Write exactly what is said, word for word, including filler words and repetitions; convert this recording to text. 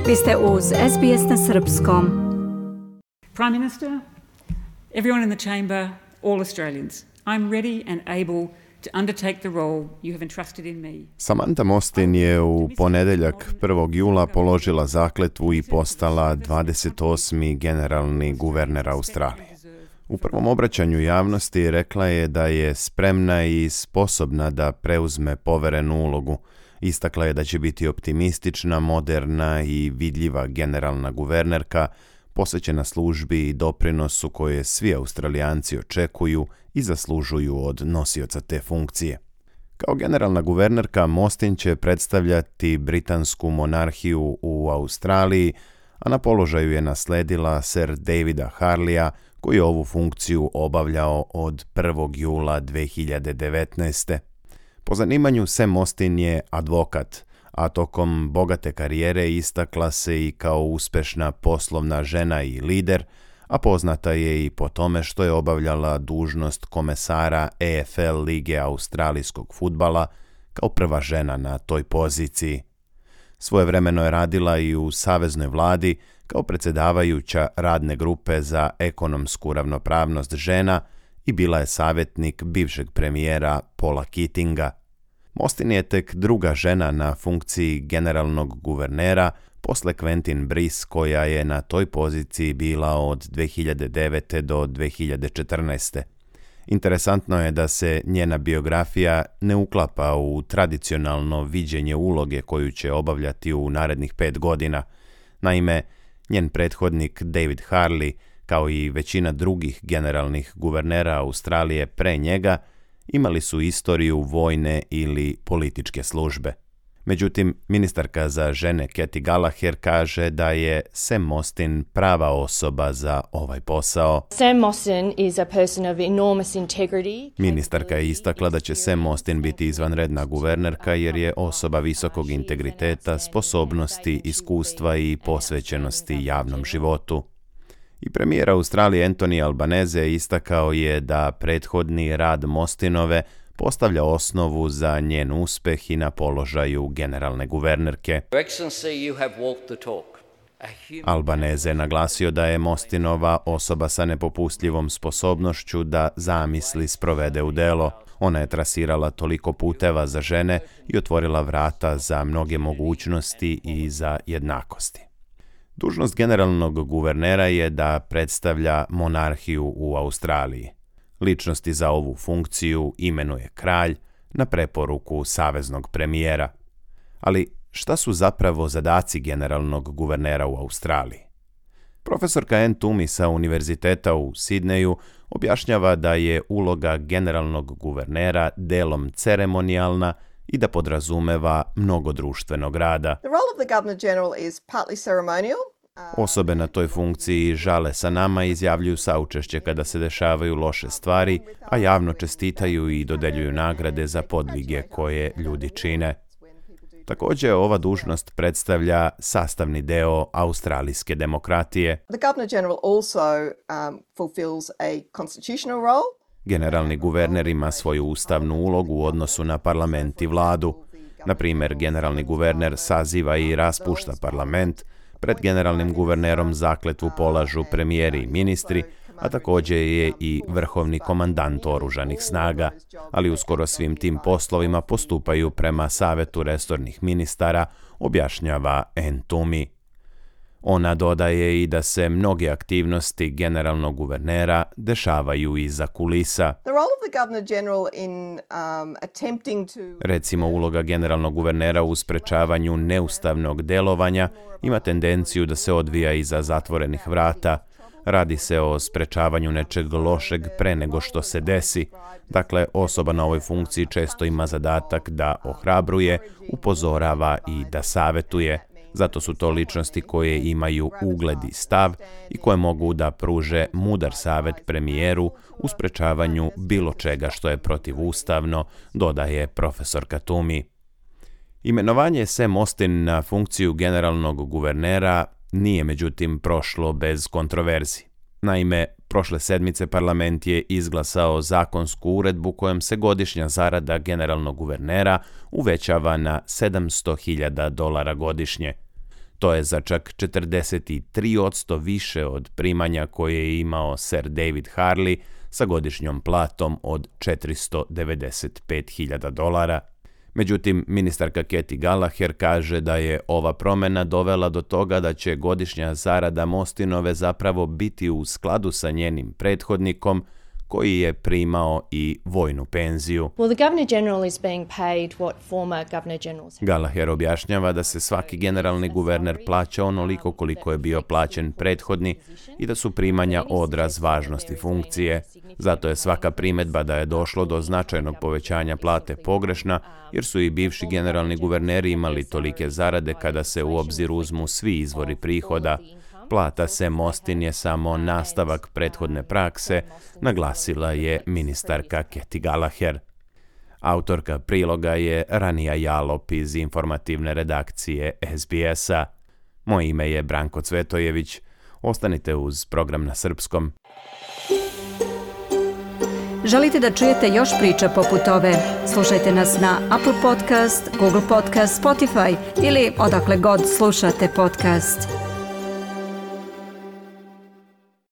Vi ste uz S B S na srpskom. Prime Minister, everyone in the chamber, all Australians, I'm ready and able to undertake the role you have entrusted in me. Samantha Mostyn je u ponedeljak prvog jula položila zakletvu i postala dvadeset osmi generalni guverner Australije. U prvom obraćanju javnosti rekla je da je spremna i sposobna da preuzme poverenu ulogu. Istakla je da će biti optimistična, moderna i vidljiva generalna guvernerka, posvećena službi i doprinosu koje svi Australijanci očekuju i zaslužuju od nosioca te funkcije. Kao generalna guvernerka Mostyn će predstavljati britansku monarhiju u Australiji, a na položaju je nasledila Sir Davida Harleya, koji je ovu funkciju obavljao od prvog jula dve hiljade devetnaeste. Po zanimanju Sam Mostyn je advokat, a tokom bogate karijere istakla se i kao uspešna poslovna žena i lider, a poznata je i po tome što je obavljala dužnost komesara A F L lige australijskog fudbala kao prva žena na toj poziciji. Svojevremeno je radila i u saveznoj vladi kao predsjedavajuća radne grupe za ekonomsku ravnopravnost žena i bila je savjetnik bivšeg premijera Paula Keatinga. Mostyn je tek druga žena na funkciji generalnog guvernera posle Quentin Brice, koja je na toj poziciji bila od dve hiljade devete do dve hiljade četrnaeste. Interesantno je da se njena biografija ne uklapa u tradicionalno viđenje uloge koju će obavljati u narednih pet godina. Naime, njen prethodnik David Harley, kao i većina drugih generalnih guvernera Australije pre njega, imali su istoriju vojne ili političke službe. Međutim, ministarka za žene Katy Gallagher kaže da je Sam Mostyn prava osoba za ovaj posao. Sam Mostyn is a person of enormous integrity. Ministarka je istakla da će Sam Mostyn biti izvanredna guvernerka jer je osoba visokog integriteta, sposobnosti, iskustva i posvećenosti javnom životu. I premijer Australije Anthony Albanese istakao je da prethodni rad Mostynove postavlja osnovu za njen uspeh i na položaju generalne guvernerke. Albanese je naglasio da je Mostynova osoba sa nepopustljivom sposobnošću da zamisli sprovede u delo. Ona je trasirala toliko puteva za žene i otvorila vrata za mnoge mogućnosti i za jednakosti. Dužnost generalnog guvernera je da predstavlja monarhiju u Australiji. Ličnosti za ovu funkciju imenuje kralj na preporuku saveznog premijera. Ali šta su zapravo zadaci generalnog guvernera u Australiji? Profesorka Ann Toomey sa Univerziteta u Sidneju objašnjava da je uloga generalnog guvernera delom ceremonijalna i da podrazumeva mnogo društvenog rada. The role of the Governor-General is partly ceremonial. Osobe na toj funkciji žale sa nama i izjavljuju saučešće kada se dešavaju loše stvari, a javno čestitaju i dodeljuju nagrade za podvige koje ljudi čine. Također, ova dužnost predstavlja sastavni deo australijske demokratije. The Governor-General also um, fulfills a constitutional role. Generalni guverner ima svoju ustavnu ulogu u odnosu na parlament i vladu. Na primjer, generalni guverner saziva i raspušta parlament, pred generalnim guvernerom zakletvu polažu premijeri i ministri, a također je i vrhovni komandant oružanih snaga, ali uskoro svim tim poslovima postupaju prema savetu resornih ministara, objašnjava Ann Toomey. Ona dodaje i da se mnoge aktivnosti generalnog guvernera dešavaju iza kulisa. The role of the Governor-General in um, attempting to... Recimo, uloga generalnog guvernera u sprečavanju neustavnog delovanja ima tendenciju da se odvija iza zatvorenih vrata. Radi se o sprečavanju nečeg lošeg pre nego što se desi. Dakle, osoba na ovoj funkciji često ima zadatak da ohrabruje, upozorava i da savetuje. Zato su to ličnosti koje imaju ugled i stav i koje mogu da pruže mudar savet premijeru u sprečavanju bilo čega što je protivustavno, dodaje profesorka Toomey. Imenovanje Sam Mostyn na funkciju generalnog guvernera nije međutim prošlo bez kontroverzi. Naime, prošle sedmice parlament je izglasao zakonsku uredbu kojom se godišnja zarada generalnog guvernera uvećava na sedamsto hiljada dolara godišnje. To je za čak četrdeset tri posto više od primanja koje je imao Sir David Harley sa godišnjom platom od četiristo devedeset pet hiljada dolara. Međutim, ministarka Katy Gallagher kaže da je ova promjena dovela do toga da će godišnja zarada Mostinove zapravo biti u skladu sa njenim prethodnikom, koji je primao i vojnu penziju. Well, the Governor General is being paid what former Governor Generals have. Gallagher objašnjava da se svaki generalni guverner plaća onoliko koliko je bio plaćen prethodni i da su primanja odraz važnosti funkcije. Zato je svaka primjedba da je došlo do značajnog povećanja plate pogrešna, jer su i bivši generalni guverneri imali tolike zarade kada se u obzir uzmu svi izvori prihoda. Plata Sam Austin je samo nastavak prethodne prakse, naglasila je ministarka Katy Gallagher. Autorka priloga je Ranija Jalop iz informativne redakcije S B S-a. Moje ime je Branko Cvetojević. Ostanite uz program na srpskom. Želite da čujete još priča poput ove? Slušajte nas na Apple Podcast, Google Podcast, Spotify ili odakle god slušate podcast.